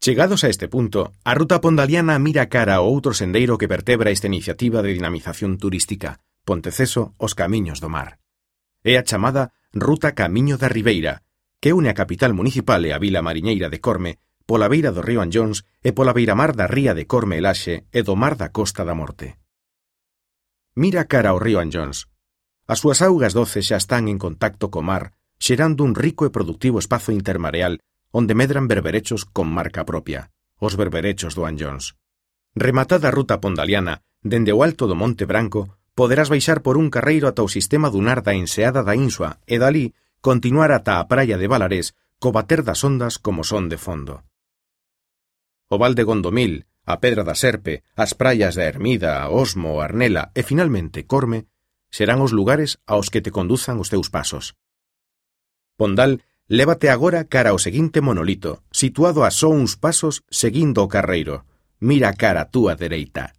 Chegados a este punto, a ruta pondaliana mira cara ao outro sendeiro que vertebra esta iniciativa de dinamización turística, Ponteceso os Camiños do Mar. É a chamada Ruta Camiño da Ribeira, que une a capital municipal e a vila mariñeira de Corme pola beira do río Anllóns e pola beiramar da ría de Corme e Laxe e do mar da Costa da Morte. Mira cara ao río Anllóns. As súas augas doces xa están en contacto co mar, xerando un rico e productivo espazo intermareal onde medran berberechos con marca propia, os berberechos do Anllóns. Rematada a ruta pondaliana, dende o alto do Monte Branco, poderás baixar por un carreiro ata o sistema dunar da Enseada da Insua e dalí continuar ata a praia de Valarés co bater das ondas como son de fondo. O val de Gondomil, a Pedra da Serpe, as praias da Ermida, Osmo, Arnela e finalmente Corme serán os lugares aos que te conduzan os teus pasos. Pondal lévate agora cara ao seguinte monolito, situado a só uns pasos seguindo o carreiro. Mira cara a túa dereita.